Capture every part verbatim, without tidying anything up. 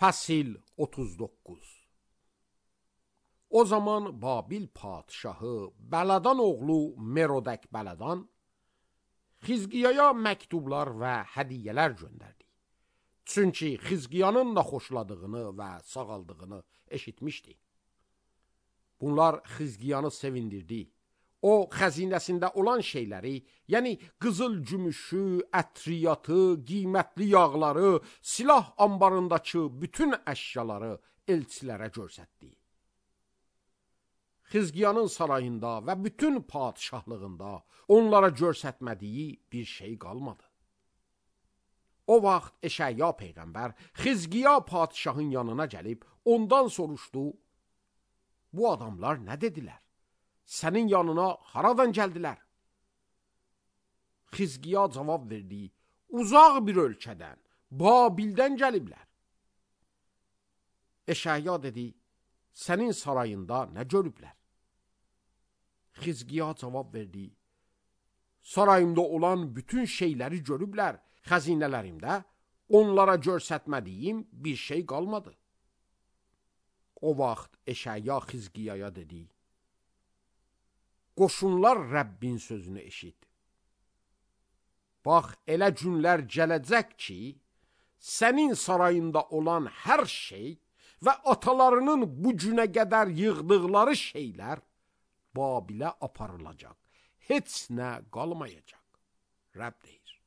Fəsil otuz doqquz. O zaman Babil padşahı Bəladan oğlu Merodək Bəladan Xizqiyaya məktublar və hədiyyələr göndərdi. Çünki Xizqiyanın naxoşladığını və sağaldığını eşitmişdi. Bunlar Xizqiyanı sevindirdi. O, xəzinəsində olan şeyləri, yəni qızıl gümüşü, ətriyatı, qiymətli yağları, silah ambarındakı bütün əşyaları elçilərə göstərdi. Xizqiyanın sarayında və bütün padşahlığında onlara göstərmədiyi bir şey qalmadı. O vaxt Eşaya peyğəmbər Xizqiya padşahın yanına gəlib ondan soruşdu: Bu adamlar nə dedilər? Sənin yanına haradan gəldilər? Xizqiya cavab verdi: Uzaq bir ölkədən, Babildən gəliblər. Eşaya dedi: Sənin sarayında nə görüblər? Xizqiya cavab verdi: Sarayımda olan bütün şeyləri görüblər, xəzinələrimdə onlara göstərmədiyim bir şey qalmadı. O vaxt Eşaya Xizqiyaya dedi: Qoşunlar Rəbbin sözünü eşit. Bax, elə günlər gələcək ki, sənin sarayında olan hər şey və atalarının bu günə qədər yığdıqları şeylər Babilə aparılacaq. Heç nə qalmayacaq. Rəbb deyir.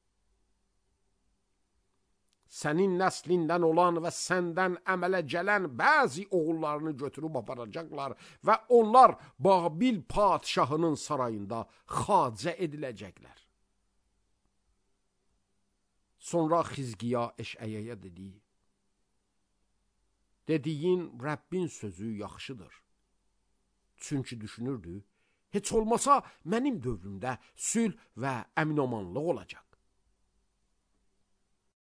Sənin nəslindən olan və səndən əmələ gələn bəzi oğullarını götürüb aparacaqlar və onlar Babil padşahının sarayında xacə ediləcəklər. Sonra Xizqiya Eşəyaya dedi: Dediyin Rəbbin sözü yaxşıdır. Çünki düşünürdü, heç olmasa mənim dövrümdə sülh və əminamanlıq olacaq.